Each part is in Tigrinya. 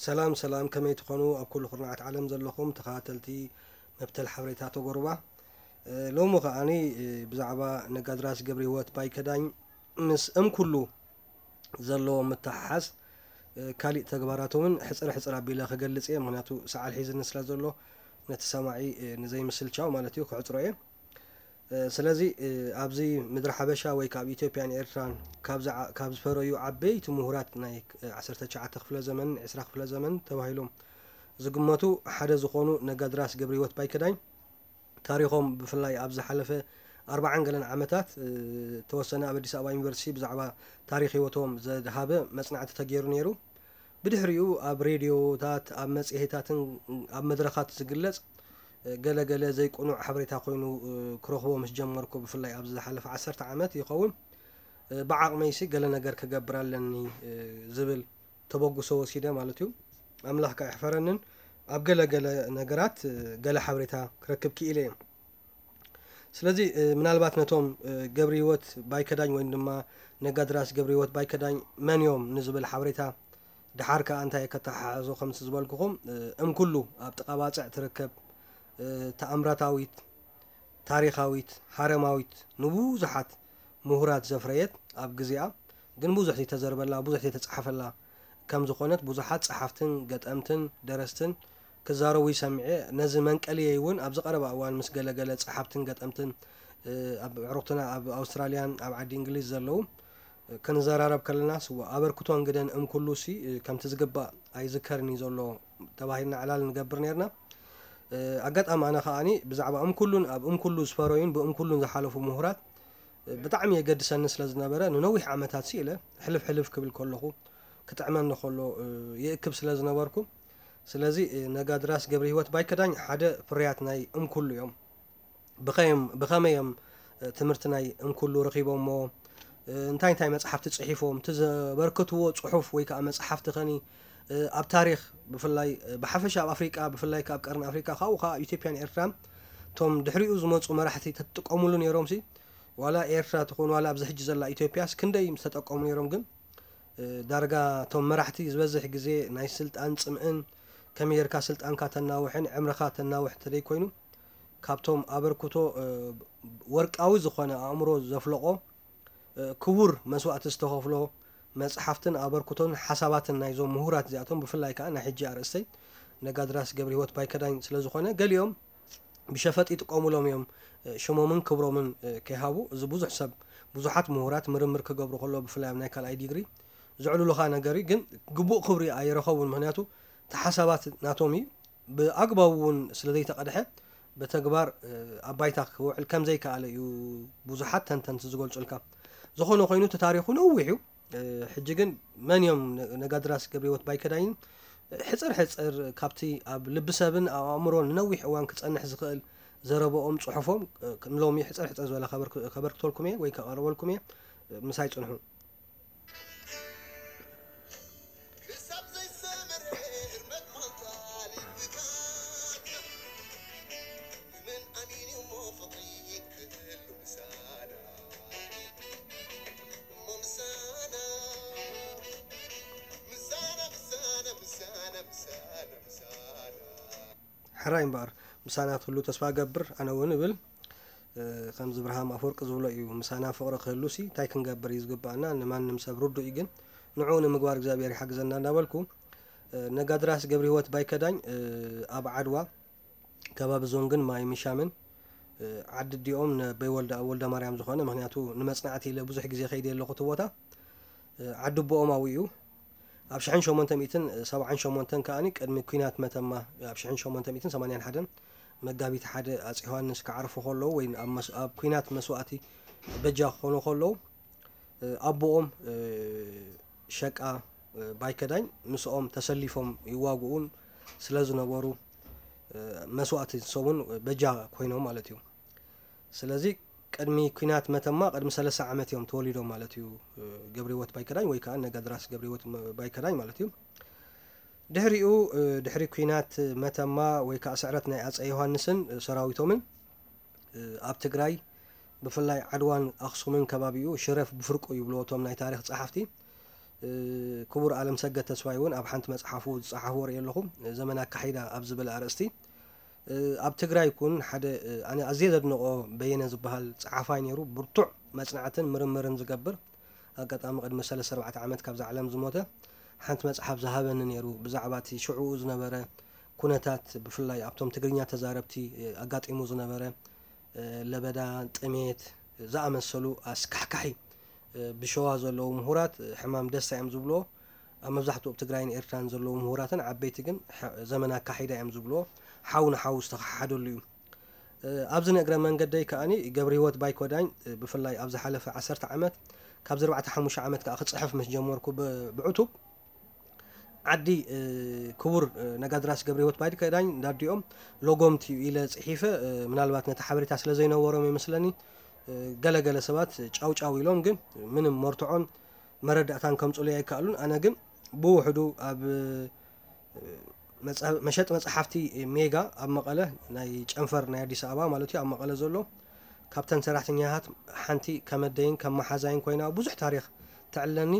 ሰላም ሰላም፣ ከመይ ትኾኑ ኣብ ኩሉ ኩርናዓት ዓለም ዘለኹም ተኸታተልቲ መብተል ሓበሬታ ተጎሩባ? እ፣ ሎሚ ከኣኒ፣ እ፣ ብዛዕባ ነጋድራስ ገብረ ህይወት ባይከዳኝ ምስ እም ኩሉ ዘለዎ ምትሓሓዝ፣ እ፣ ካሊእ ተግባራቶምን ሕጽር ሕጽር ኣቢለ ክገልጽ እየ። ምኽንያቱ ሰዓል ሒዝኒ ስለ ዘሎ ነቲ ሰማዒ፣ እ፣ ንዘይምስልቻው ማለት እዩ ክዕጽሮ እየ። እ፣ ስለዚ፣ እ፣ ኣብዚ ምድሪ ሓበሻ ወይ ካብ ኢትዮጵያን ኤርትራን ካብ ዝዓ-፣ ካብ ዝፈረዩ ዓበይቲ ምሁራት ናይ፣ እ፣ ዓሰርተ ትሽዓተ ክፍለ ዘመን፣ ዕስራ ክፍለ ዘመን ተባሂሎም ዝግመቱ ሓደ ዝኾኑ ነጋድራስ ገብረ ህይወት ባይከዳኝ ታሪኾም ብፍላይ ኣብ ዝሓለፈ ኣርባዓን ገለን ዓመታት፣ እ፣ ተወሰነ ኣብ ኣዲስ ኣበባ ዩኒቨርሲቲ ብዛዕባ ታሪኽ ህይወቶም ዘድሃበ መጽናዕቲ ተገይሩ ነይሩ። ብድሕሪኡ ኣብ ሬድዮታት፣ ኣብ መጽሔታትን ኣብ መድረኻት ዝግለጽ፣ እ፣ ገለ ገለ ዘይቅኑዕ ሓበሬታ ኮይኑ፣ እ፣ ክረኽቦ ምስ ጀመርኩ፣ ብፍላይ ኣብዚ ዝሓለፈ ዓሰርተ ዓመት ይኸውን፣ እ፣ ብዓቕመይሲ ገለ ነገር ክገብር ኣለኒ፣ እ፣ ዝብል ተበግሶ ወሲደ ማለት እዩ። ኣምላኽ ከኣ ይሕፈረንን ኣብ ገለ ገለ ነገራት፣ እ፣ ገለ ሓበሬታ ክረክብ ክኢለ እየ። ስለዚ፣ እ፣ ምናልባት ነቶም፣ እ፣ ገብረ ህይወት ባይከዳኝ ወይም ድማ ነጋድራስ ገብረ ህይወት ባይከዳኝ መን እዮም ንዝብል ሓበሬታ፣ ድሓር ከኣ እንታይ ከተሓሕዞ ከምቲ ዝበልኩኹም፣ እ፣ እም ኩሉ ኣብ ጥቓ ባጽዕ ትርከብ፣ እ፣ ተኣምራታዊት፣ ታሪኻዊት፣ ሃረማዊት፣ ንብዙሓት ምሁራት ዘፍረየት፣ ኣብ ግዜኣ ግን ብዙሕ ዘይተዘርበላ፣ ብዙሕ ዘይተጻሕፈላ ከም ዝኾነት ብዙሓት ጸሓፍትን ገጠምትን ደረስትን ክዛረቡ ይሰምዐ። ነዚ መንቀሊየይ እውን ኣብዚ ቀረባ እዋን ምስ ገለገለ ጸሓፍትን ገጠምትን፣ እ፣ ኣብ ኣዕሩኽትና ኣብ ኣውስትራልያን ኣብ ዓዲ እንግሊዝ ዘለዉ፣ እ፣ ክንዘራረብ ከለና፣ ስዋ ኣበርክቶን ግደን እም ኩሉሲ፣ እ፣ ከምቲ ዝግባእ ኣይዝከርን እዩ ዘሎ ተባሂልና ዕላል ንገብር ነርና። እ፣ ኣጋጣሚ ኣነ ከኣኒ ብዛዕባ እም ኩሉን ኣብ እም ኩሉ ዝፈረዩን ብእም ኩሉን ዝሓለፉ ምሁራት፣ እ፣ ብጣዕሚ የገድሰኒ ስለ ዝነበረ፣ ንነዊሕ ዓመታት ስኢለ ሕልፍ ሕልፍ ክብል ከለኹ፣ ክጥዕመኒ ከሎ፣ እ፣ ይእክብ ስለ ዝነበርኩ፣ ስለዚ፣ እ፣ ነጋድራስ ገብረ ህይወት ባይከዳኝ ሓደ ፍርያት ናይ እም ኩሉ እዮም። ብኸየም-፣ ብኸመይ እዮም፣ እ፣ ትምህርቲ ናይ እም ኩሉ ረኺቦሞ? እ፣ እንታይ እንታይ መጽሓፍቲ ጽሒፎም? እቲ ዘበርክትዎ ጽሑፍ ወይ ከኣ መጽሓፍቲ ኸኒ፣ እ፣ ኣብ ታሪኽ ብፍላይ፣ እ፣ ብሓፈሻ ኣብ ኣፍሪቃ፣ ብፍላይ ከኣ ኣብ ቀርኒ ኣፍሪቃ፣ ካብኡ ከኣ ኣብ ኢትዮጵያን ኤርትራን እቶም ድሕሪኡ ዝመጹ መራሕቲ ተጥቀሙሉ ነይሮምሲ? ዋላ ኤርትራ ትኹን ዋላ ኣብዚ ሕጂ ዘላ ኢትዮጵያስ ክንደይ ምስ ተጠቀሙ ነይሮም? ግን፣ እ፣ ዳርጋ እቶም መራሕቲ ዝበዝሕ ግዜ ናይ ስልጣን ጽምእን ከመይ ጌርካ ስልጣንካ ተናውሕን ዕምርኻ ተናውሕ እንተደይኮይኑ፣ ካብቶም ኣበርክቶ፣ እ፣ ወርቃዊ ዝኾነ ኣእምሮ ዘፍለቖ፣ እ፣ ክቡር መስዋእቲ ዝተኸፍሎ መጽሓፍትን ኣበርክቶን ሓሳባትን ናይዞም ምሁራት እዚኣቶም፣ ብፍላይ ከኣ ናይ ሕጂ ኣርእስተይ ነጋድራስ ገብረ ህይወት ባይከዳኝ ስለ ዝኾነ፣ ገሊኦም ብሸፈጥ ይጥቀሙሎም እዮም፣ እ፣ ሽሞምን ክብሮምን፣ እ፣ ከይሃቡ። እዚ ብዙሕ ሰብ፣ ብዙሓት ምሁራት ምርምር ክገብሩ ከለዉ፣ ብፍላይ ኣብ ናይ ካልኣይ ዲግሪ፣ ዘዕልሉኻ ነገር እዩ። ግን ግቡእ ክብሪ ኣይረኸቡን። ምኽንያቱ እቲ ሓሳባት ናቶም እዩ። ብኣግባቡ እውን ስለ ዘይተቐድሐ፣ ብተግባር፣ እ፣ ኣብ ባይታ ክውዕል ከም ዘይከኣለ እዩ ብዙሓት ተንተንቲ ዝገልጹልካ። ዝኾነ ኮይኑ እቲ ታሪኹ ነዊሕ እዩ። እ፣ ሕጂ ግን መን እዮም ነ-፣ ነጋድራስ ገብረ ህይወት ባይከዳይን? ሕጽር ሕጽር ካብቲ ኣብ ልቢ ሰብን ኣብ ኣእምሮን ንነዊሕ እዋን ክጸንሕ ዝኽእል ዘረባኦም፣ ጽሑፎም፣ እ፣ ንሎሚ ሕጽር ሕጽር ዝበለ ከበርክ-፣ ከበርክተልኩም እየ ወይ ከቐርበልኩም እየ። እ፣ ምሳይ ጽንሑ። ክሳብ ዘይሰምር ህርመት ማንታ ልብካ፣ ብመን ኣሚኑ እሞ ፍቕሪ ክህሉ ምሳና? እሞ ምሳና፣ ምሳና፣ ምሳና፣ ምሳና፣ ምሳና፣ ምሳና። ሕራይ እምበኣር፣ ምሳና ትህሉ ተስፋ እገብር፣ ኣነ እውን እብል። እ፣ ከምዚ እብርሃም ኣፈወርቂ ዝብሎ እዩ፣ ምሳና ፍቕሪ ክህሉሲ እንታይ ክንገብር እዩ ዝግብኣና? ንማንም ሰብ ርዱእ እዩ፣ ግን ንዕኡ ንምግባር እግዚኣብሔር ይሓግዘና እናበልኩ፣ እ፣ ነጋድራስ ገብረ ህይወት ባይከዳኝ፣ እ፣ ኣብ ዓድዋ ከባቢ ዞንግን ማይ ምሻምን፣ እ፣ ዓዲ ኣዲኦም ነበይ ወልደ፣ ወልደ ማርያም ዝኾነ፣ ምኽንያቱ ንመጽናዕቲ ኢለ ብዙሕ ግዜ ከይደ ኣለኹ እቲ ቦታ፣ እ፣ ዓዲ ኣቦኦም ኣብኡ እዩ። ኣብ ሽሕን ሸሞንተ ሚእትን ሰብዓን ሸሞንተን ከኣኒ ቅድሚ ኲናት መተማ፣ ኣብ ሽሕን ሸሞንተ ሚእትን ሰማንያን ሓደን መጋቢት ሓደ ኣጼ ዮሃንስ ክዓርፉ ከለዉ ወይ ኣብ መስ-፣ ኣብ ኲናት መስዋእቲ በጃ ክኾኑ ከለዉ፣ እ፣ ኣቦኦም፣ እ፣ ሸቃ፣ እ፣ ባይከዳኝ ምስኦም ተሰሊፎም ይዋግኡን ስለ ዝነበሩ፣ እ፣ መስዋእቲ ንሶም እውን በጃ ኮይኖም ማለት እዩ። ስለዚ ቅድሚ ኲናት መተማ ቅድሚ ሰለስተ ዓመት እዮም ተወሊዶም ማለት እዩ፣ እ፣ ገብረ ህይወት ባይከዳኝ ወይ ከኣ ነጋድራስ ገብረ ህይወት መ-፣ ባይከዳኝ ማለት እዩ። ድሕሪኡ፣ እ፣ ድሕሪ ኲናት መተማ ወይ ከኣ ስዕረት ናይ ኣጸ ዮሃንስን፣ እ፣ ሰራዊቶምን፣ እ፣ ኣብ ትግራይ ብፍላይ ዓድዋን ኣኽሱምን ከባቢኡ ሽረፍ ብፍርቁ ይብልዎ እቶም ናይ ታሪኽ ጸሓፍቲ። ክቡር ኣለምሰገድ ተስፋይ እውን ኣብ ሓንቲ መጽሓፉ ዝጸሓፎ ርኢ ኣለኹ፣ ዘመን ኣካሒዳ ኣብ ዝብል ኣርእስቲ። ኣብ ትግራይ ኩን ሓደ ኣነ ኣዝየ ዘድንቖ በየነ ዝበሃል ጸሓፋይ ነይሩ። ብርቱዕ መጽናዕትን ምርምርን ዝገብር፣ ኣጋጣሚ ቅድሚ ሰለስተ ኣርባዕተ ዓመት ካብዛ ዓለም ዝሞተ፣ ሓንቲ መጽሓፍ ዝሃበኒ ነይሩ። ብዛዕባ እቲ ሽዕኡ ዝነበረ ኩነታት፣ ብፍላይ ኣብቶም ትግርኛ ተዛረብቲ ኣጋጢሙ ዝነበረ ለበዳ፣ ጥሜት ዝኣመሰሉ ኣስካሕካሒ ብሸዋ ዘለዉ ምሁራት ሕማም ደስታ እዮም ዝብልዎ። ኣብ መብዛሕትኡ ኣብ ትግራይን ኤርትራን ዘለዉ ምሁራትን ዓበይቲ ግን ዘመን ኣካሒዳ እዮም ዝብልዎ። ሓው ንሓው ዝተኸሓደሉ እዩ። ኣብዚ ንእግረ መንገደይ ከኣኒ ገብረ ህይወት ባይኮዳኝ ብፍላይ ኣብ ዝሓለፈ ዓሰርተ ዓመት፣ ካብዚ ኣርባዕተ ሓሙሽተ ዓመት ከኣ ክጽሕፍ ምስ ጀመርኩ ብዕቱብ ዓዲ ክቡር ነጋድራስ ገብረ ህይወት ባይኮዳኝ እንዳዲኦም ሎጎምቲ እዩ ኢለ ጽሒፈ። ምናልባት ነቲ ሓበሬታ ስለ ዘይነበሮም ይመስለኒ፣ ገለገለ ሰባት ጫውጫው ኢሎም፣ ግን ምንም መርትዖን መረዳእታን ከምጽኡለይ ኣይከኣሉን። ኣነ ግን ብውሕዱ ኣብ መሸጢ መጽሓፍቲ ሜጋ ኣብ መቐለ፣ ናይ ጨንፈር ናይ ኣዲስ ኣበባ ማለት እዩ፣ ኣብ መቐለ ዘሎ፣ ካብተን ሰራሕተኛታት ሓንቲ ከመደይን ከም መሓዛይን ኮይና ብዙሕ ታሪኽ ተዕልለኒ።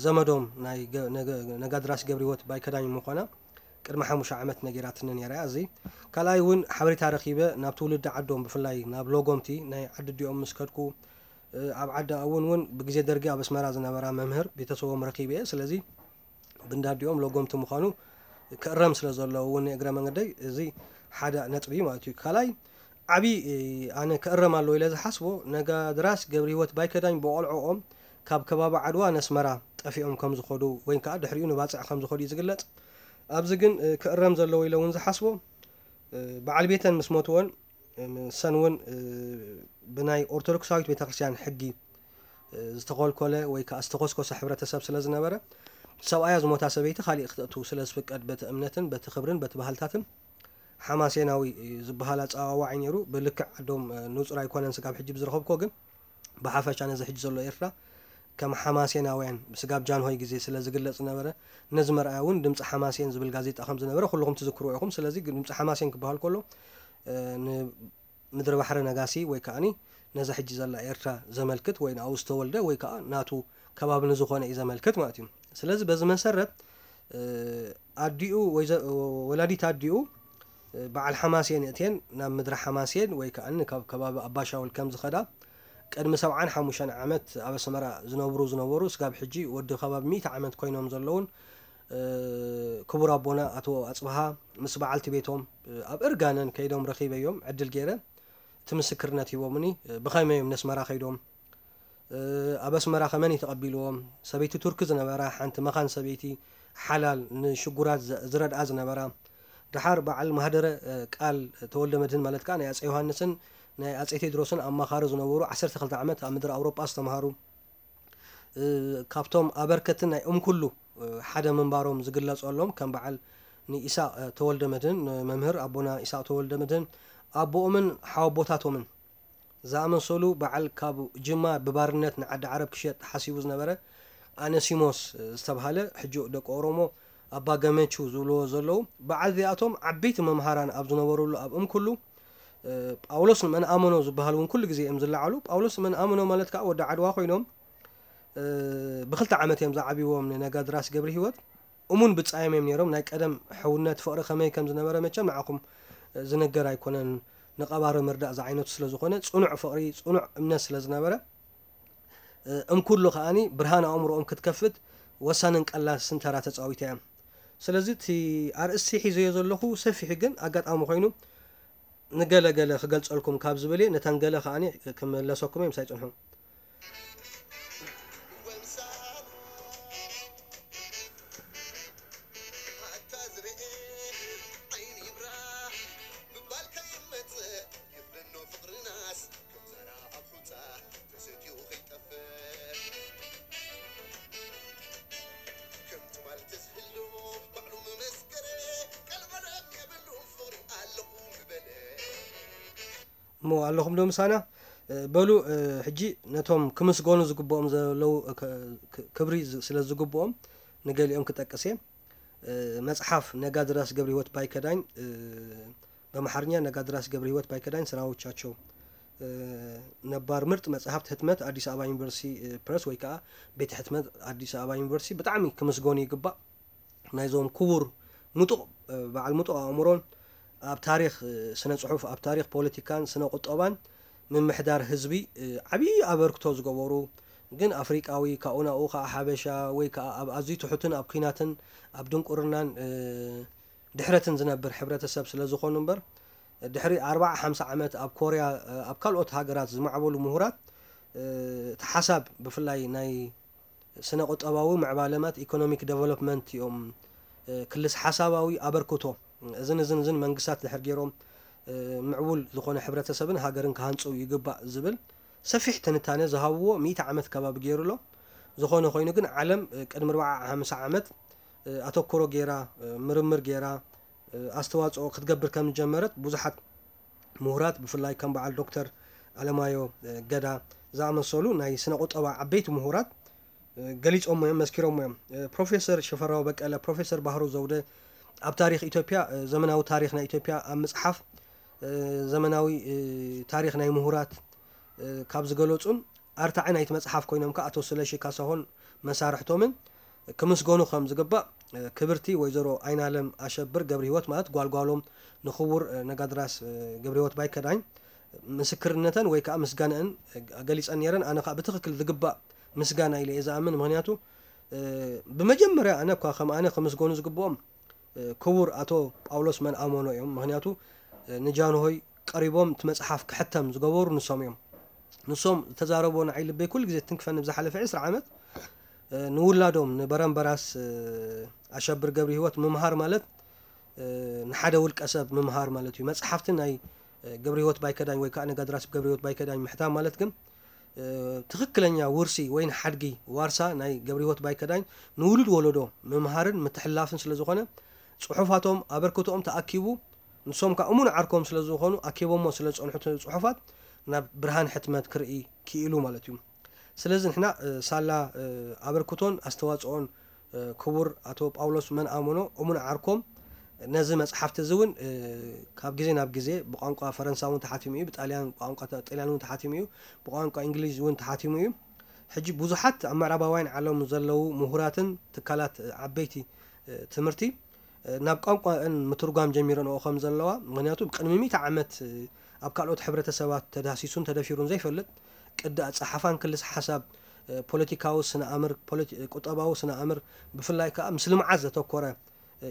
ዘመዶም ናይ ነጋድራስ ገብረ ህይወት ባይከዳኝ ምዃና ቅድሚ ሓሙሽተ ዓመት ነጊራትኒ ነይራ እያ። እዚ ካልኣይ እውን ሓበሬታ ረኺበ ናብ ትውልዲ ዓዶም፣ ብፍላይ ናብ ሎጎምቲ ናይ ዓዲ ኣዲኦም ምስ ከድኩ፣ ኣብ ዓዲ ኣውን እውን ብግዜ ደርጊ ኣብ ኣስመራ ዝነበራ መምህር ቤተሰቦም ረኺበ እየ። ስለዚ ብንዳዲኦም ሎጎምቲ ምዃኑ ክእረም ስለ ዘለዎ እውን እግረ መንገደይ እዚ ሓደ ነጥቢ ማለት እዩ። ካልኣይ ዓብዪ ኣነ ክእረም ኣለዎ ኢለ ዝሓስቦ፣ ነጋድራስ ገብረ ህይወት ባይከዳኝ ብቆልዕኦም ካብ ከባቢ ዓድዋ ነስመራ ጠፊኦም ከም ዝኸዱ ወይ ከዓ ድሕሪኡ ንባፅዕ ከም ዝኸዱ እዩ ዝግለፅ። ኣብዚ ግን ክእረም ዘለዎ ኢለ እውን ዝሓስቦ፣ በዓል ቤተን ምስ ሞትወን፣ ንሰን እውን ብናይ ኦርቶዶክሳዊት ቤተክርስትያን ሕጊ ዝተኾልኮለ ወይ ከዓ ዝተኾስኮሰ ሕብረተሰብ ስለ ዝነበረ፣ ሰብኣያ ዝሞታ ሰበይቲ ካሊእ ክተእቱ ስለ ዝፍቀድ፣ በቲ እምነትን በቲ ክብርን በቲ ባህልታትን ሓማሴናዊ ዝበሃል ኣጸዋዋዒ ነይሩ። ብልክዕ ዓዶም ንጹር ኣይኮነን ስጋብ ሕጂ ብዝረኸብኮ፣ ግን ብሓፈሻ ነዚ ሕጂ ዘሎ ኤርትራ ከም ሓማሴናውያን ብስጋብ ጃንሆይ ግዜ ስለ ዝግለጽ ዝነበረ፣ ነዚ መርኣያ እውን ድምጺ ሓማሴን ዝብል ጋዜጣ ከም ዝነበረ ኩልኹም ትዝክርዎ ኢኹም። ስለዚ ድምጺ ሓማሴን ክበሃል ከሎ፣ ን ምድሪ ባሕሪ ነጋሲ ወይ ከኣኒ ነዛ ሕጂ ዘላ ኤርትራ ዘመልክት ወይ ንኣኡ ዝተወልደ ወይ ከኣ ናቱ ከባቢ ንዝኾነ እዩ ዘመልክት ማለት እዩ። ስለዚ በዚ መሰረት ኣዲኡ ወይ ወላዲት ኣዲኡ በዓል ሓማሴን እትየን ናብ ምድሪ ሓማሴን ወይ ከኣኒ ካብ ከባቢ ኣባሻውል ከም ዝኸዳ ቅድሚ ሰብዓን ሓሙሽተን ዓመት ኣብ ኣስመራ ዝነብሩ ዝነበሩ ስጋብ ሕጂ ወዲ ከባቢ ሚእቲ ዓመት ኮይኖም ዘለውን ክቡር ኣቦና ኣቶ ኣጽብሃ ምስ በዓልቲ ቤቶም ኣብ እርጋነን ከይዶም ረኺበዮም ዕድል ገይረ እቲ ምስክርነት ሂቦምኒ። ብኸመይ እዮም ነስመራ ከይዶም? ኣብ ኣስመራ ከመን እዩ ተቐቢልዎም? ሰበይቲ ቱርኪ ዝነበራ ሓንቲ መኻን ሰበይቲ ሓላል ንሽጉራት ዝረድኣ ዝነበራ። ደሓር በዓል ማህደረ ቃል ተወልደ መድህን ማለት ከዓ ናይ ኣፀ ዮሃንስን ናይ ኣፀ ቴድሮስን ኣማኻሪ ዝነበሩ ዓሰርተ ክልተ ዓመት ኣብ ምድሪ ኣውሮጳ ዝተምሃሩ፣ ካብቶም ኣበርከትን ናይ እምኩሉ ሓደ ምንባሮም ዝግለፀሎም ከም በዓል ንኢሳቅ ተወልደ መድህን፣ ንመምህር ኣቦና ኢሳቅ ተወልደ መድህን ኣቦኦምን ሓወቦታቶምን ዝኣመሰሉ፣ በዓል ካብ ጅማ ብባርነት ንዓዲ ዓረብ ክሸጥ ሓሲቡ ዝነበረ ኣነሲሞስ ዝተብሃለ፣ ሕጂ ደቂ ኦሮሞ ኣባ ገመቹ ዝብልዎ ዘለዉ፣ በዓል እዚኣቶም ዓበይቲ መምሃራን ኣብ ዝነበሩሉ ኣብ እምኩሉ ጳውሎስ ንመን ኣመኖ ዝበሃል እውን ኩሉ ግዜ እዮም ዝለዓሉ። ጳውሎስ ንመን ኣመኖ ማለት ከዓ ወዲ ዓድዋ ኮይኖም ብክልተ ዓመት እዮም ዝዓብይዎም ንነጋድራስ ገብረ ህይወት። እሙን ብጻዮም እዮም ነይሮም። ናይ ቀደም ሕውነት ፍቕሪ ከመይ ከም ዝነበረ መቸም ንዓኹም ዝንገር ኣይኮነን። ንቐባሪ ምርዳእ ዝዓይነቱ ስለ ዝኾነ ጽኑዕ ፍቕሪ፣ ጽኑዕ እምነት ስለ ዝነበረ እምኩሉ ከኣኒ ብርሃን ኣእምሮኦም ክትከፍት ወሳንን ቀላስን ተራ ተጻዊታ እያ። ስለዚ እቲ ኣርእስቲ ሒዘዮ ዘለኹ ሰፊሕ ግን ኣጋጣሚ ኮይኑ ንገለ ገለ ክገልጸልኩም ካብ ዝብል እየ። ነተን ገለ ከኣኒ ክምለሰኩም እየ፣ ምሳይ ጽንሑ። እሞ ኣለኹም ዶ ምሳና? በሉ፣ ሕጂ ነቶም ክምስገኑ ዝግብኦም ዘለዉ ክብሪ ስለ ዝግብኦም ንገሊኦም ክጠቅስ እየ። መጽሓፍ ነጋድራስ ገብረ ህይወት ባይከዳኝ፣ በምሓርኛ ነጋድራስ ገብረ ህይወት ባይከዳኝ ስራዎቻቸው ነባር ምርጥ መጽሓፍቲ ህትመት ኣዲስ ኣበባ ዩኒቨርሲቲ ፕረስ ወይ ከዓ ቤት ሕትመት ኣዲስ ኣበባ ዩኒቨርሲቲ ብጣዕሚ ክምስገኑ ይግባእ። ናይዞም ክቡር ምጡቕ በዓል ምጡቕ ኣእምሮን ኣብ ታሪኽ ስነ ጽሑፍ፣ ኣብ ታሪኽ ፖለቲካን ስነ ቁጠባን ምምሕዳር ህዝቢ ዓብዪ ኣበርክቶ ዝገበሩ፣ ግን ኣፍሪቃዊ ካብኡ ናብኡ ከዓ ሓበሻ ወይ ከዓ ኣብ ኣዝዩ ትሑትን ኣብ ኲናትን ኣብ ድንቁርናን ድሕረትን ዝነብር ሕብረተሰብ ስለ ዝኾኑ እምበር፣ ድሕሪ ኣርባዓ ሓምሳ ዓመት ኣብ ኮርያ፣ ኣብ ካልኦት ሃገራት ዝማዕበሉ ምሁራት እቲ ሓሳብ ብፍላይ ናይ ስነ ቁጠባዊ ምዕባለማት፣ ኢኮኖሚክ ዴቨሎፕመንት እዮም፣ ክልስ ሓሳባዊ ኣበርክቶ እዝን እዝን እዝን መንግስታት ድሕር ገይሮም ምዕቡል ዝኾነ ሕብረተሰብን ሃገርን ክሃንፁ ይግባእ ዝብል ሰፊሕ ትንታነ ዝሃብዎ ሚእቲ ዓመት ከባቢ ገይሩ ኣሎ። ዝኾነ ኮይኑ ግን ዓለም ቅድሚ ኣርባዓ ሓምሳ ዓመት ኣተኩሮ ገይራ ምርምር ገይራ ኣስተዋፅኦ ክትገብር ከም ዝጀመረት ብዙሓት ምሁራት ብፍላይ ከም በዓል ዶክተር ኣለማዮ ገዳ ዝኣመሰሉ ናይ ስነ ቁጠባ ዓበይቲ ምሁራት ገሊፆሞ እዮም፣ መስኪሮሞ እዮም። ፕሮፌሰር ሽፈራው በቀለ፣ ፕሮፌሰር ባህሩ ዘውደ ኣብ ታሪኽ ኢትዮጵያ፣ ዘመናዊ ታሪኽ ናይ ኢትዮጵያ ኣብ ምፅሓፍ፣ ዘመናዊ ታሪኽ ናይ ምሁራት ካብ ዝገለፁን ኣርታዒ ናይቲ መፅሓፍ ኮይኖም ከዓ ኣቶ ስለሺ ካሳሆን መሳርሕቶምን ክምስገኑ ከም ዝግባእ ክብርቲ ወይዘሮ ኣይናለም ኣሸብር ገብረህይወት ማለት ጓልጓሎም ንክቡር ነጋድራስ ገብረህይወት ባይከዳኝ ምስክርነተን ወይ ከዓ ምስጋነአን ገሊፀን ነይረን። ኣነ ከዓ ብትኽክል ዝግባእ ምስጋና ኢለ እየ ዝኣምን። ምክንያቱ ብመጀመርያ ኣነ እኳ ከም ኣነ ክምስገኑ ዝግብኦም ክቡር ኣቶ ጳውሎስ መንኣመኖ እዮም። ምክንያቱ ንጃንሆይ ቀሪቦም እቲ መፅሓፍ ክሕተም ዝገበሩ ንሶም እዮም። ንሶም ዝተዛረብዎ ንዓይ ልበይ ኩሉ ግዜ ትንክፈኒ ብዝሓለፈ ዕስራ ዓመት ንውላዶም ንበረምበራስ ኣሸብር ገብረ ህይወት ምምሃር ማለት ንሓደ ውልቀ ሰብ ምምሃር ማለት እዩ። መፅሓፍቲ ናይ ገብረ ህይወት ባይከዳኝ ወይ ከዓ ነጋድራስ ገብረ ህይወት ባይከዳኝ ምሕታም ማለት ግን ትኽክለኛ ውርሲ ወይ ሓድጊ ዋርሳ ናይ ገብረ ህይወት ባይከዳኝ ንውሉድ ወለዶ ምምሃርን ምትሕልላፍን ስለ ዝኾነ ፅሑፋቶም ኣበርክቶኦም ተኣኪቡ ንሶም ከዓ እሙን ዓርኮም ስለ ዝኾኑ ኣኪቦሞ ስለ ዝፀንሑ እቲ ፅሑፋት ናብ ብርሃን ሕትመት ክርኢ ክኢሉ ማለት እዩ። ስለዚ ንሕና ሳላ ኣበርክቶን ኣስተዋፅኦን ክቡር ኣቶ ጳውሎስ መንኣመኖ እሙን ዓርኮም ነዚ መፅሓፍቲ እዚ እውን ካብ ግዜ ናብ ግዜ ብቋንቋ ፈረንሳ እውን ተሓቲሙ እዩ፣ ብጣልያን ቋንቋ ጣልያን እውን ተሓቲሙ እዩ፣ ብቋንቋ እንግሊዝ እውን ተሓቲሙ እዩ። ሕጂ ብዙሓት ኣብ ምዕራባውያን ዓለም ዘለዉ ምሁራትን ትካላት ዓበይቲ ትምህርቲ ናብ ቋንቋን ምትርጓም ጀሚረንኦ ከም ዘለዋ፣ ምክንያቱ ቅድሚ ሚእቲ ዓመት ኣብ ካልኦት ሕብረተሰባት ተዳህሲሱን ተደፊሩን ዘይፈልጥ ቅዲ ኣፀሓሕፋን ክልስ ሓሳብ ፖለቲካዊ ስነ ኣምር ቁጠባዊ ስነ ኣምር ብፍላይ ከዓ ምስ ልምዓት ዘተኮረ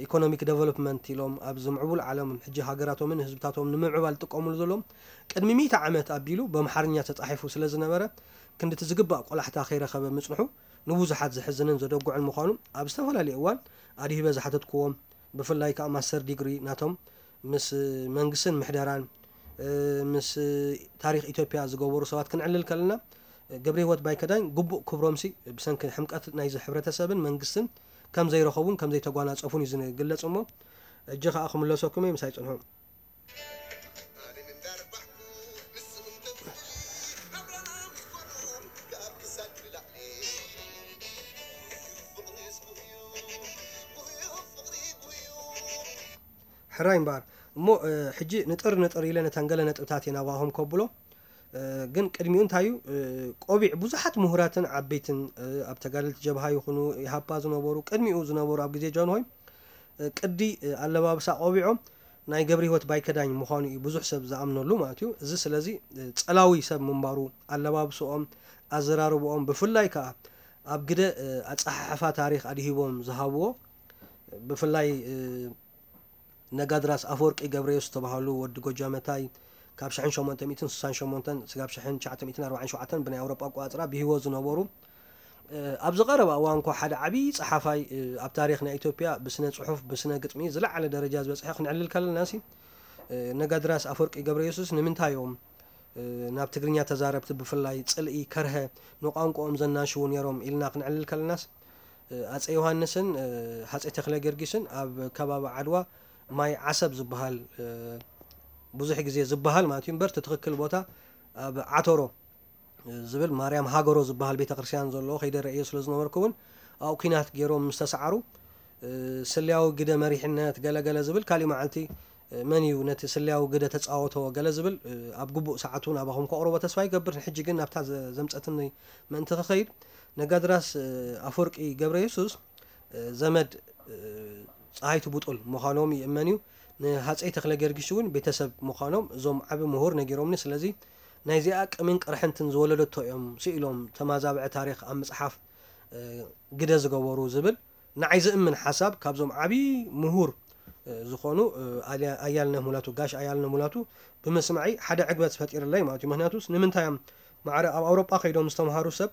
ኢኮኖሚክ ዴቨሎፕመንት ኢሎም ኣብዚ ምዕቡል ዓለም ሕጂ ሃገራቶምን ህዝብታቶም ንምምዕባል ዝጥቀሙሉ ዘለዎም ቅድሚ ሚእቲ ዓመት ኣቢሉ በምሓርኛ ተፃሒፉ ስለ ዝነበረ ክንድቲ ዝግባእ ቆላሕታ ከይረኸበ ምፅንሑ ንብዙሓት ዘሕዝንን ዘደጉዕን ምዃኑ ኣብ ዝተፈላለዩ እዋን ኣድሂበ ዝሓተትክዎም ብፍላይ ከዓ ማስተር ዲግሪ ናቶም ምስ መንግስትን ምሕደራን ምስ ታሪኽ ኢትዮጵያ ዝገበሩ ሰባት ክንዕልል ከለና ገብረ ህይወት ባይከዳኝ ግቡእ ክብሮምሲ ብሰንኪ ሕምቀት ናይዚ ሕብረተሰብን መንግስትን ከም ዘይረኸቡን ከም ዘይተጓናፀፉን እዩ ዝግለፅ እሞ እጂ ከዓ ክምለሰኩም እየ ምሳይ ፅንሑ። ሕራይ እምበኣር እሞ ሕጂ ንጥር ንጥር ኢለ ነተን ገለ ነጥብታት እየ ናባኹም ከብሎ። ግን ቅድሚኡ እንታይ እዩ ቆቢዕ ብዙሓት ምሁራትን ዓበይትን ኣብ ተጋደልቲ ጀብሃ ይኹኑ ኢሃፓ ዝነበሩ ቅድሚኡ ዝነበሩ ኣብ ግዜ ጃንሆይ ቅዲ ኣለባብሳ ቆቢዖም ናይ ገብረ ህይወት ባይከዳኝ ምዃኑ እዩ ብዙሕ ሰብ ዝኣምነሉ ማለት እዩ። እዚ ስለዚ ፀላዊ ሰብ ምንባሩ ኣለባብስኦም ኣዘራርብኦም ብፍላይ ከዓ ኣብ ግደ ኣፀሓሕፋ ታሪኽ ኣድሂቦም ዝሃብዎ ብፍላይ ነጋድራስ ኣፈወርቂ ገብረየሱስ ዝተባሃሉ ወዲ ጎጃመታይ ካብ ሽሕን ሸሞንተ ሚእትን ስሳን ሸሞንተን ስጋብ ሽሕን ትሽዓተ ሚእትን ኣርባዓን ሸውዓተን ብናይ ኣውሮጳ ኣቆፃፅራ ብህይወት ዝነበሩ ኣብዚ ቀረባ እዋን እኳ ሓደ ዓብዪ ፀሓፋይ ኣብ ታሪኽ ናይ ኢትዮጵያ ብስነ ፅሑፍ ብስነ ግጥሚ ዝለዓለ ደረጃ ዝበፅሐ ክንዕልል ከለና ሲ ነጋድራስ ኣፈወርቂ ገብረየሱስ ንምንታይ እዮም ናብ ትግርኛ ተዛረብቲ ብፍላይ ፅልኢ ከርሀ ንቋንቋኦም ዘናሽዉ ነይሮም ኢልና ክንዕልል ከለናስ ኣፀ ዮሃንስን ኣፀ ተክለ ጊዮርጊስን ኣብ ከባቢ ዓድዋ ማይ ዓሰብ ዝበሃል ብዙሕ ግዜ ዝበሃል ማለት እዩ እምበር እቲ ትኽክል ቦታ ኣብ ዓተሮ ዝብል ማርያም ሃገሮ ዝበሃል ቤተክርስትያን ዘለዎ ከይደ ረእዮ ስለ ዝነበርኩ እውን ኣብኡ ኲናት ገይሮም ምስ ተሰዓሩ ስልያዊ ግደ መሪሕነት ገለገለ ዝብል ካሊእ መዓልቲ መን እዩ ነቲ ስለያዊ ግደ ተጻወቶ ገለ ዝብል ኣብ ግቡእ ሰዓቱ ናባኹም ከቕርቦ ተስፋ ይገብር። ንሕጂ ግን ናብታ ዘምጸትኒ ምእንቲ ክኸይድ፣ ነጋድራስ ኣፈወርቂ ገብረ የሱስ ዘመድ ጸሃይቱ ብጡል ምዃኖም ይእመን እዩ። ንሃጸይ ተኽለ ጊዮርጊስ እውን ቤተሰብ ምዃኖም እዞም ዓቢ ምሁር ነጊሮምኒ። ስለዚ ናይዚኣ ቅሚን ቅርሕንትን ዝወለደቶ እዮም ስኢሎም ተማዛብዐ ታሪኽ ኣብ ምጽሓፍ ግደ ዝገበሩ ዝብል ንዓይ ዝእምን ሓሳብ ካብዞም ዓቢ ምሁር ዝኾኑ ኣያልነ ሙላቱ፣ ጋሽ ኣያልነ ሙላቱ ብምስማዒ ሓደ ዕግበት ፈጢርለይ ማለት እዩ። ምክንያቱስ ንምንታይ እዮም ማዕረ ኣብ ኣውሮጳ ከይዶም ዝተምሃሩ ሰብ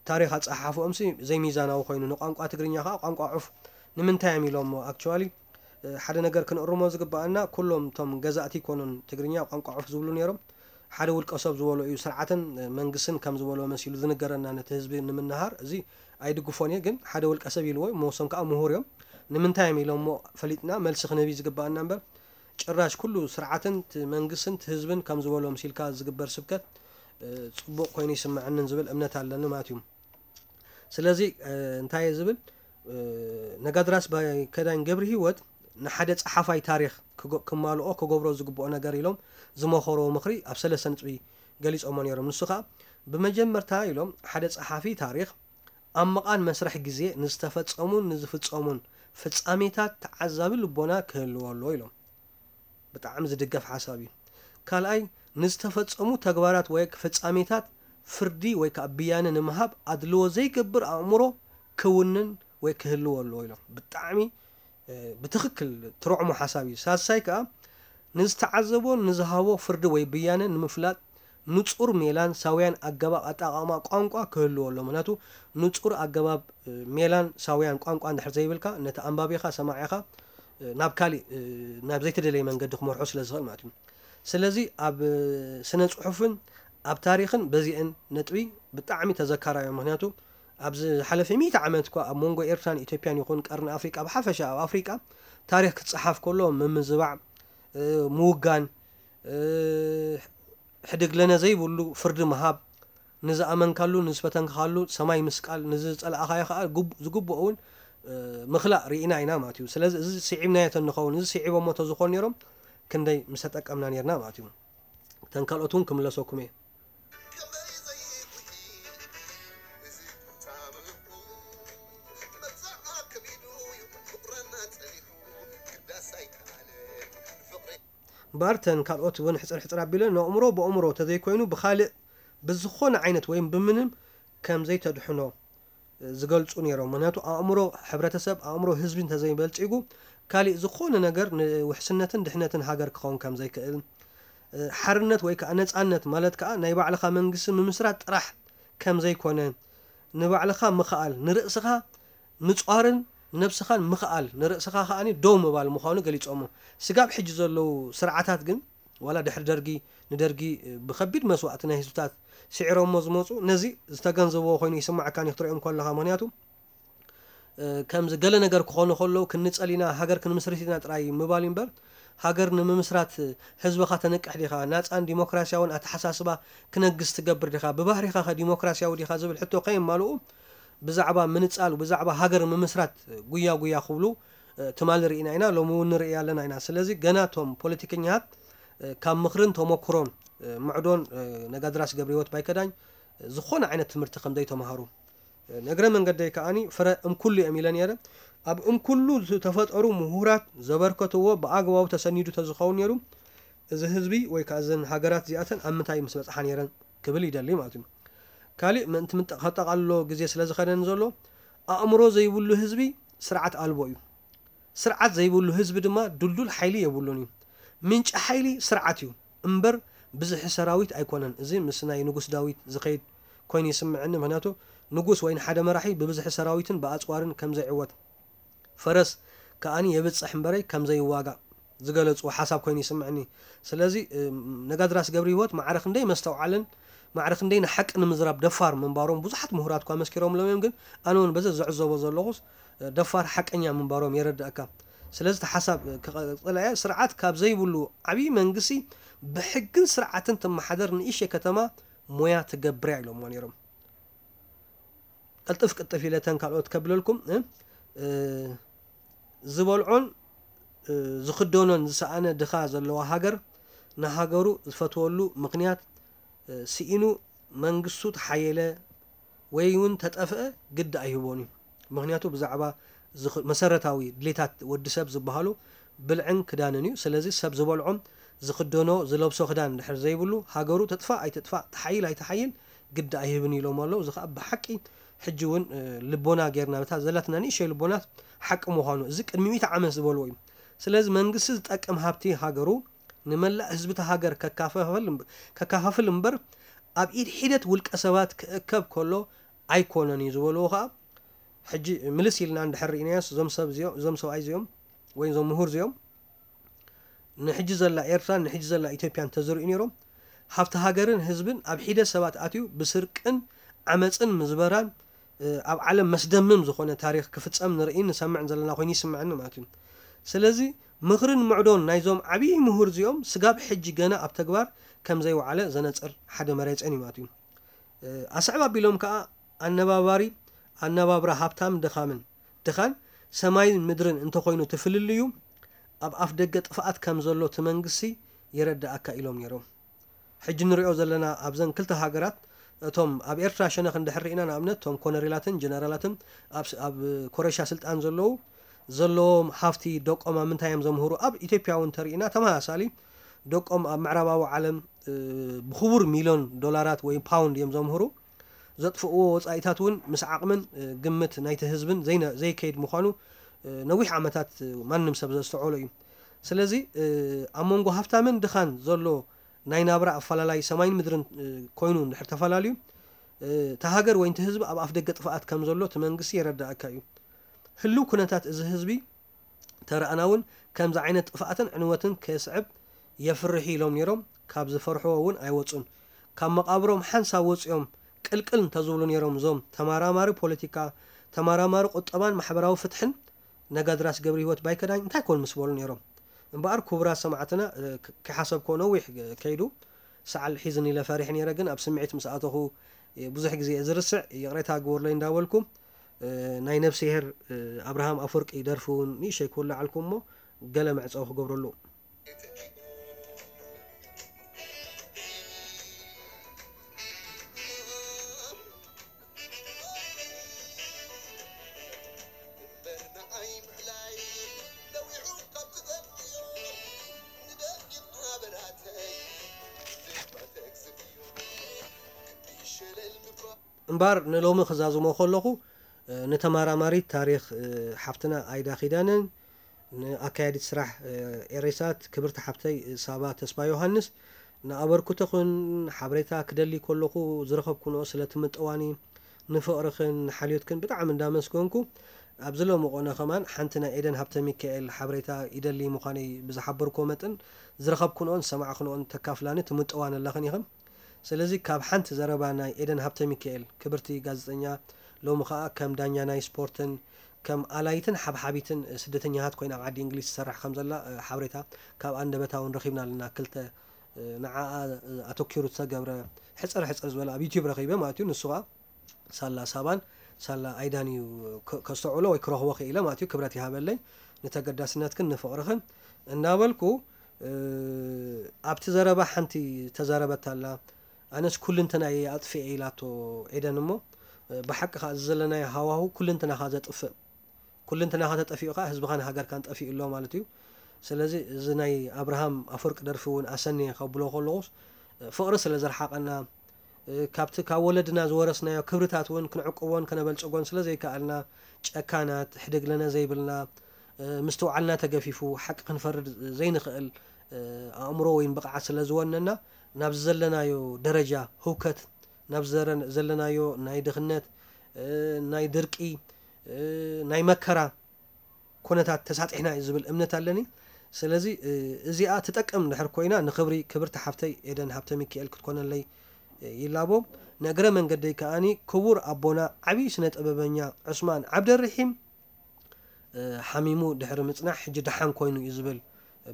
ታሪኽ ኣጸሓሕፍኦምሲ ዘይሚዛናዊ ኮይኑ፣ ንቋንቋ ትግርኛ ከዓ ቋንቋ ዑፍ ንምንታይ እዮም ኢሎሞ? ኣክቹዋሊ ሓደ ነገር ክንእርሞ ዝግባኣና፣ ኩሎም እቶም ገዛእቲ ይኮኑን ትግርኛ ቋንቋ ዑፍ ዝብሉ ነይሮም። ሓደ ውልቀ ሰብ ዝበሎ እዩ። ስርዓትን መንግስትን ከም ዝበሎ መሲሉ ዝንገረና ነቲ ህዝቢ ንምንሃር፣ እዚ ኣይድግፎን እየ። ግን ሓደ ውልቀ ሰብ ኢልዎ፣ መወሶም ከዓ ምሁር እዮም። ንምንታይ እዮም ኢሎሞ ፈሊጥና መልሲ ክንህብ እዩ ዝግባኣና እምበር፣ ጭራሽ ኩሉ ስርዓትን እቲ መንግስትን እቲ ህዝብን ከም ዝበሎ መሲልካ ዝግበር ስብከት ጽቡቕ ኮይኑ ይስምዐንን ዝብል እምነት ኣለኒ ማለት እዩ። ስለዚ እንታይ እየ ዝብል፣ ነጋድራስ ባይከዳኝ ገብሪ ህይወት ንሓደ ጸሓፋይ ታሪኽ ክማልኦ ክገብሮ ዝግብኦ ነገር ኢሎም ዝመኸርዎ ምኽሪ ኣብ ሰለስተ ነጥቢ ገሊጾሞ ነይሮም። ንሱ ኸኣ ብመጀመርታ ኢሎም ሓደ ጸሓፊ ታሪኽ ኣብ መቓን መስርሕ ግዜ ንዝተፈጸሙን ንዝፍጸሙን ፍጻሜታት ተዓዛቢ ልቦና ክህልዎ ኣለዎ ኢሎም። ብጣዕሚ ዝድገፍ ሓሳብ እዩ። ካልኣይ፣ ንዝተፈጸሙ ተግባራት ወይ ፍጻሜታት ፍርዲ ወይ ከዓ ብያነ ንምሃብ ኣድልዎ ዘይገብር ኣእምሮ ክውንን ወይ ክህልዎ ኣለዎ ኢሎም። ብጣዕሚ ብትኽክል ትርዕሞ ሓሳብ እዩ። ሳልሳይ ከዓ ንዝተዓዘቦ ንዝሃቦ ፍርዲ ወይ ብያነ ንምፍላጥ ንጹር ሜላን ሳውያን ኣገባብ ኣጠቓቕማ ቋንቋ ክህልዎ ኣሎ። ምክንያቱ ንጹር ኣገባብ ሜላን ሳውያን ቋንቋ እንድሕር ዘይብልካ ነቲ ኣንባቢኻ ሰማዒኻ ናብ ካሊእ ናብ ዘይተደለየ መንገዲ ክመርሖ ስለ ዝኽእል ማለት እዩ። ስለዚ ኣብ ስነ ጽሑፍን ኣብ ታሪኽን በዚአን ነጥቢ ብጣዕሚ ተዘካራዮም። ምክንያቱ ኣብዚ ዝሓለፈ ሚእቲ ዓመት እኳ ኣብ መንጎ ኤርትራን ኢትዮጵያን ይኹን ቀርኒ ኣፍሪቃ ብሓፈሻ ኣብ ኣፍሪቃ ታሪኽ ክጸሓፍ ከሎ ምምዝባዕ፣ ምውጋን፣ ሕድግ ለነ ዘይብሉ ፍርዲ ምሃብ፣ ንዝኣመንካሉ ንዝፈተንካሉ ሰማይ ምስቃል፣ ንዝጸላእኻዮ ከኣ ዝግብኦ እውን ምኽላእ ርኢና ኢና ማለት እዩ። ስለዚ እዚ ስዒብናዮ ተንኸውን፣ እዚ ስዒቦሞ ተዝኾኑ ነይሮም ክንደይ ምስተጠቀምና ነይርና ማለት እዩ። ተን ካልኦት እውን ክምለሰኩም እየ። እምበኣር ተን ካልኦት እውን ሕፅር ሕፅር ኣቢለ ነእምሮ ብእምሮ ተዘይኮይኑ ብኻልእ ብዝኾነ ዓይነት ወይም ብምንም ከም ዘይተድሕኖ ዝገልፁ ነይሮም። ምክንያቱ ኣእምሮ ሕብረተሰብ፣ ኣእምሮ ህዝቢ እንተዘይበልፂጉ ካሊእ ዝኾነ ነገር ንውሕስነትን ድሕነትን ሃገር ክኸውን ከም ዘይክእል፣ ሓርነት ወይ ከዓ ነፃነት ማለት ከዓ ናይ ባዕልኻ መንግስቲ ምምስራት ጥራሕ ከም ዘይኮነ፣ ንባዕልኻ ምኽኣል፣ ንርእስኻ ምፅዋርን ንነብስኻን ምኽኣል፣ ንርእስኻ ከዓኒ ደው ምባል ምዃኑ ገሊፆሞ። ስጋብ ሕጂ ዘለዉ ስርዓታት ግን ዋላ ድሕሪ ደርጊ ንደርጊ ብኸቢድ መስዋእቲ ናይ ህዝብታት ስዒሮሞ ዝመፁ ነዚ ዝተገንዘብዎ ኮይኑ ይስማዓካ እኒ ክትሪኦም ከለኻ። ምክንያቱ ከምዚ ገለ ነገር ክኾኑ ከለዉ ክንጸል ኢና፣ ሃገር ክንምስርት ኢና ጥራይ ምባል እዩ እምበር ሃገር ንምምስራት ህዝብኻ ተንቅሕ ዲኻ? ናጻን ዲሞክራሲያውን ኣተሓሳስባ ክነግስ ትገብር ዲኻ? ብባህሪኻ ከ ዲሞክራሲያዊ ዲኻ ዝብል ሕቶ ከየማልኡ ብዛዕባ ምንጻል ብዛዕባ ሃገር ምምስራት ጉያ ጉያ ክብሉ ትማሊ ርኢና ኢና፣ ሎሚ እውን ንርኢ ኣለና ኢና። ስለዚ ገና እቶም ፖለቲከኛታት ካብ ምኽርን ተመክሮን ምዕዶን ነጋድራስ ገብረህይወት ባይከዳኝ ዝኾነ ዓይነት ትምህርቲ ከም ዘይተምሃሩ፣ ንእግረ መንገደይ ከኣኒ ፍረ እምኩሉ እዮም ኢለ ነይረ። ኣብ እምኩሉ ዝተፈጠሩ ምሁራት ዘበርከትዎ ብኣግባቡ ተሰኒዱ ተዝኸውን ነይሩ፣ እዚ ህዝቢ ወይ ከዓ እዘን ሃገራት እዚኣተን ኣብ ምንታይ ምስ በፅሓ ነይረን ክብል ይደሊ ማለት እዩ። ካሊእ ምእንቲ ምጠ- ከጠቓልሎ ግዜ ስለ ዝኸደኒ ዘሎ፣ ኣእምሮ ዘይብሉ ህዝቢ ስርዓት ኣልቦ እዩ። ስርዓት ዘይብሉ ህዝቢ ድማ ድልዱል ሓይሊ የብሉን እዩ። ምንጪ ሓይሊ ስርዓት እዩ እምበር ብዝሒ ሰራዊት ኣይኮነን። እዚ ምስ ናይ ንጉስ ዳዊት ዝኸይድ ኮይኑ ይስምዐኒ። ምክንያቱ ንጉስ ወይ ንሓደ መራሒ ብብዝሒ ሰራዊትን ብኣፅዋርን ከም ዘይዕወት፣ ፈረስ ከኣኒ የብፅሕ እምበረይ ከም ዘይዋጋእ ዝገለፅዎ ሓሳብ ኮይኑ ይስምዐኒ። ስለዚ ነጋድራስ ገብረ ህይወት ማዕረ ክንደይ መስተውዓልን ማዕረ ክንደይ ንሓቂ ንምዝራብ ደፋር ምንባሮም ብዙሓት ምሁራት እኳ መስኪሮምሎም እዮም። ግን ኣነ እውን በዚ ዝዕዘቦ ዘለኹስ ደፋር ሓቀኛ ምንባሮም የረድኣካ። ስለዚ እቲ ሓሳብ ክቐፅል እየ። ስርዓት ካብ ዘይብሉ ዓብዪ መንግስቲ ብሕግን ስርዓትን ትመሓደር ንእሽተይ ከተማ ሞያ ትገብር እያ ኢሎምዎ ነይሮም። ቅልጥፍ ቅልጥፍ ኢለ እተን ካልኦት ከብለልኩም እ፣ እ፣ ዝበልዖን ዝኽደኖን ዝሰኣነ ድኻ ዘለዋ ሃገር ንሃገሩ ዝፈትወሉ ምኽንያት ስኢኑ መንግስቱ ተሓየለ ወይ እውን ተጠፍአ ግዲ ኣይህቦን እዩ። ምኽንያቱ ብዛዕባ መሰረታዊ ድሌታት ወዲ ሰብ ዝበሃሉ ብልዕን ክዳንን እዩ። ስለዚ ሰብ ዝበልዖም ዝኽደኖ ዝለብሶ ክዳን ድሕር ዘይብሉ ሃገሩ ትጥፋእ ኣይትጥፋእ ተሓይል ኣይተሓይል ግዲ ኣይህብን ኢሎም ኣለዉ። እዚ ከዓ ብሓቂ ሕጂ እውን ልቦና ጌርና በታ ዘላትና ንእሸይ ልቦና ሓቂ ምዃኑ እዚ ቅድሚ ሚእቲ ዓመት ዝበልዎ እዩ። ስለዚ መንግስቲ ዝጠቅም ሃብቲ ሃገሩ ንመላእ ህዝብቲ ሃገር ከካፋፍል እምበር ኣብ ኢድ ሒደት ውልቀ ሰባት ክእከብ ከሎ ኣይኮነን እዩ ዝበልዎ ከዓ ሕጂ ምልስ ኢልና እንድሕር ርኢናዮስ እዞም ሰብ እዚኦም እዞም ሰብኣይ እዚኦም ወይ እዞም ምሁር እዚኦም ንሕጂ ዘላ ኤርትራን ንሕጂ ዘላ ኢትዮጵያን ተዝርእዩ ነይሮም ሃብቲ ሃገርን ህዝብን ኣብ ሒደት ሰባት ኣትዩ ብስርቅን ዓመፅን ምዝበራን ኣብ ዓለም መስደምም ዝኾነ ታሪክ ክፍፀም ንርእይን ንሰምዕን ዘለና ኮይኑ ይስምዐኒ ማለት እዩ። ስለዚ ምኽርን ምዕዶን ናይዞም ዓብዪ ምሁር እዚኦም ስጋብ ሕጂ ገና ኣብ ተግባር ከም ዘይወዓለ ዘነፅር ሓደ መሬፀን እዩ ማለት እዩ። ኣስዕብ ኣቢሎም ከዓ ኣነባባሪ ኣነባብራ ሃብታም ድኻምን ድኻን ሰማይን ምድርን እንተኾይኑ እቲ ፍልልዩ ኣብ ኣፍ ደገ ጥፍኣት ከም ዘሎ እቲ መንግስቲ የረድኣካ ኢሎም ነይሮም። ሕጂ ንሪኦ ዘለና ኣብዘን ክልተ ሃገራት እቶም ኣብ ኤርትራ ሸነኽ እንድሕር ርኢና ንኣብነት እቶም ኮነሬላትን ጀነራላትን ኣብ ኮረሻ ስልጣን ዘለዉ ዘለዎም ሃፍቲ ደቆም ኣብ ምንታይ እዮም ዘምህሩ ኣብ ኢትዮጵያ እውን ተርኢና ተመሳሳሊ ደቆም ኣብ ምዕራባዊ ዓለም ብክቡር ሚልዮን ዶላራት ወይ ፓውንድ እዮም ዘምህሩ ዘጥፍእዎ ወፃኢታት እውን ምስ ዓቕምን ግምት ናይቲ ህዝብን ዘይከይድ ምዃኑ ነዊሕ ዓመታት ማንም ሰብ ዘስተውዕሎ እዩ። ስለዚ ኣብ መንጎ ሃፍታምን ድኻን ዘሎ ናይ ናብራ ኣፈላላይ ሰማይን ምድርን ኮይኑ እንድሕር ተፈላለዩ እቲ ሃገር ወይ እቲ ህዝቢ ኣብ ኣፍ ደገ ጥፍኣት ከም ዘሎ እቲ መንግስቲ የረዳእካ እዩ። ህልው ኩነታት እዚ ህዝቢ ተረኣና እውን ከምዚ ዓይነት ጥፍኣትን ዕንወትን ከየስዕብ የፍርሕ ኢሎም ነይሮም። ካብ ዝፈርሕዎ እውን ኣይወፁን። ካብ መቓብሮም ሓንሳብ ወፂኦም ቅልቅል እንተዝብሉ ነይሮም እዞም ተመራማሪ ፖለቲካ፣ ተመራማሪ ቁጠባን ማሕበራዊ ፍትሕን ነጋድራስ ገብረ ህይወት ባይከዳኝ እንታይ ኮን ምስ በሉ ነይሮም። እምበኣር ክቡራት ሰማዕትና ክሓሰብኮ ነዊሕ ከይዱ ሰዓል ሒዝኒ ኢለ ፈሪሕ ነይረ፣ ግን ኣብ ስምዒት ምስ ኣተኹ ብዙሕ ግዜ እየ ዝርስዕ፣ ይቕሬታ ግበርለይ እንዳበልኩ ናይ ነብስሄር ኣብርሃም ኣፈወርቂ ደርፊ እውን ንእሸይ ክውልዓልኩም እሞ ገለ መዕፀዊ ክገብረሉ። እምባር ንሎሚ ክዛዝሞ ከለኹ ንተመራማሪት ታሪኽ ሓፍትና ኣይዳ ኪዳነን ንኣካያዲት ስራሕ ኤሬሳት ክብርቲ ሓፍተይ ሳባ ተስፋ ዮሃንስ ንኣበርክቶኽን ሓበሬታ ክደሊ ከለኹ ዝረኸብኩንኦ ስለ ትምጥዋኒ ንፍቕርኽን ንሓልዮትክን ብጣዕሚ እንዳመስገንኩ ኣብዚ ሎሚ ቆነ ከማን ሓንቲ ናይ ኤደን ሃብተ ሚካኤል ሓበሬታ ይደሊ ምዃነይ ብዝሓበርክዎ መጠን ዝረኸብኩንኦን ዝሰማዕክንኦን ተካፍላኒ ትምጥዋን ኣለኽን ኢኽን። ስለዚ ካብ ሓንቲ ዘረባ ናይ ኤደን ሃብተሚካኤል ክብርቲ ጋዜጠኛ ሎሚ ኸኣ ከም ዳኛ ናይ ስፖርትን ከም ኣላይትን ሓብሓቢትን ስደተኛታት ኮይና ኣብ ዓዲ እንግሊዝ ትሰርሕ ከም ዘላ ሓበሬታ ካብ ኣንደበታ እውን ረኺብና ኣለና። ክልተ ንዓኣ ኣተኪሩ ዝተገብረ ሕጽር ሕጽር ዝበለ ኣብ ዩቲዩብ ረኺበ ማለት እዩ። ንሱ ኸኣ ሳላ ሳባን ሳላ ኣይዳን እዩ ከስተውዕሎ ወይ ክረኽቦ ክኢለ ማለት እዩ። ክብረት ይሃበለይ ንተገዳስነትክን ንፍቕርኽን እናበልኩ ኣብቲ ዘረባ ሓንቲ ተዛረበት ኣላ። ኣነስ ኩልንተና እየ ኣጥፍኤ ኢላቶ ኤደን እሞ ብሓቂ ከዓ እዚ ዘለናዮ ሃዋሁ ኩልንትናኻ ዘጥፍእ ኩልንትናኻ ተጠፊኡ ከዓ ህዝብኻን ሃገርካን ጠፊኡ ኣሎ ማለት እዩ። ስለዚ እዚ ናይ ኣብርሃም ኣፈወርቂ ደርፊ እውን ኣሰንየ ከብሎ ከለኹስ ፍቕሪ ስለ ዘርሓቐና ካብቲ ካብ ወለድና ዝወረስናዮ ክብርታት እውን ክንዕቅቦን ከነበልፅጎን ስለ ዘይከኣልና ጨካናት ሕደግለነ ዘይብልና ምስትውዓልና ተገፊፉ ሓቂ ክንፈርድ ዘይንኽእል ኣእምሮ ወይ ብቕዓት ስለ ዝወነና ናብዚ ዘለናዮ ደረጃ ህውከት ናብ ዘለናዮ ናይ ድኽነት ናይ ድርቂ ናይ መከራ ኩነታት ተሳጢሕና እዩ ዝብል እምነት ኣለኒ። ስለዚ እዚኣ ትጠቅም ድሕር ኮይና ንክብሪ ክብርቲ ሓፍተይ ኤደን ሃብተ ሚካኤል ክትኮነለይ ይላቦ። ንእግረ መንገደይ ከኣኒ ክቡር ኣቦና ዓብዪ ስነ ጥበበኛ ዑስማን ዓብደርሒም ሓሚሙ ድሕሪ ምፅናሕ ሕጂ ደሓን ኮይኑ እዩ ዝብል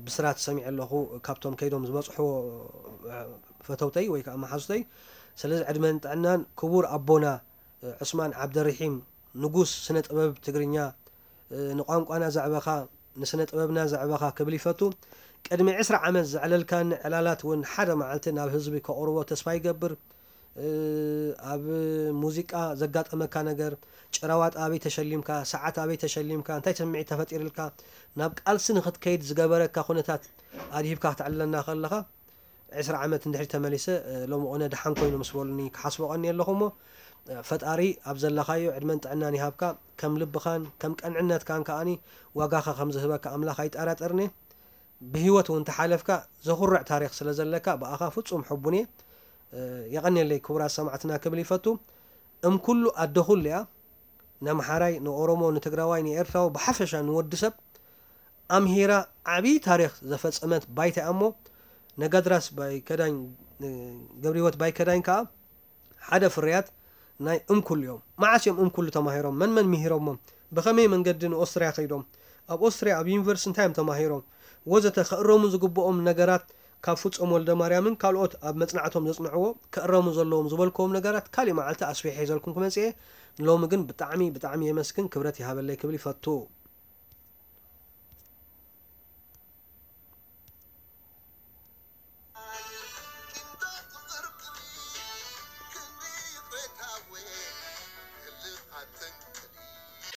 ብስራት ሰሚዐ ኣለኹ። ካብቶም ከይዶም ዝበፅሕዎ ፈተውተይ ወይ ከዓ መሓዙተይ። ስለዚ ዕድመን ጥዕናን ክቡር ኣቦና ዑስማን ዓብደርሒም ንጉስ ስነ ጥበብ ትግርኛ ንቋንቋና ዘዕበኻ ንስነ ጥበብና ዘዕበኻ ክብል ይፈቱ። ቅድሚ ዕስራ ዓመት ዘዕለልካኒ ዕላላት እውን ሓደ መዓልቲ ናብ ህዝቢ ከቕርቦ ተስፋ ይገብር። ኣብ ሙዚቃ ዘጋጠመካ ነገር፣ ጭራዋጥ ኣበይ ተሸሊምካ፣ ሰዓት ኣበይ ተሸሊምካ፣ እንታይ ስምዒት ተፈጢርልካ፣ ናብ ቃልሲ ንኽትከይድ ዝገበረካ ኩነታት ኣድሂብካ ክተዕልለና ከለኻ፣ ዕስራ ዓመት እንድሕሪ ተመሊሰ ሎሚ ቁነ ደሓን ኮይኑ ምስ በሉኒ ክሓስቦ ቀኒ ኣለኹ እሞ፣ ፈጣሪ ኣብ ዘለኻዮ ዕድመን ጥዕናን ይሃብካ። ከም ልብኻን ከም ቀንዕነትካን ከኣኒ ዋጋኻ ከም ዝህበካ ኣምላኽ ኣይጠራጠርኒ። ብህይወት እውን ተሓለፍካ ዘኹርዕ ታሪኽ ስለ ዘለካ ብኣኻ ፍጹም ሕቡን እየ። የቐንየለይ ክቡራት ሰማዕትና ክብል ይፈቱ። እም ኩሉ ኣደ ኩሉ እያ። ነምሓራይ፣ ንኦሮሞ፣ ንትግራዋይ፣ ንኤርትራዊ ብሓፈሻ ንወዲ ሰብ ኣምሂራ ዓብዪ ታሪኽ ዘፈጸመት ባይታ እያ እሞ፣ ነጋድራስ ባይከዳኝ፣ ገብረህይወት ባይከዳኝ ከኣ ሓደ ፍርያት ናይ እምኩሉ እዮም። መዓስ እዮም እምኩሉ ተማሂሮም? መን መን ምሂሮሞም? ብኸመይ መንገዲ ንኦስትርያ ከይዶም? ኣብ ኦስትርያ ኣብ ዩኒቨርሲቲ እንታይ እዮም ተማሂሮም? ወዘተ ከእረሙ ዝግብኦም ነገራት ካብ ፍጹም ወልደማርያምን ካልኦት ኣብ መጽናዕቶም ዘጽንዕዎ ከእረሙ ዘለዎም ዝበልክዎም ነገራት ካሊእ መዓልቲ ኣስፊሐ ሒዘልኩም ክመጽእ እየ። ሎሚ ግን ብጣዕሚ ብጣዕሚ የመስግን፣ ክብረት ይሃበለይ ክብል ይፈቱ።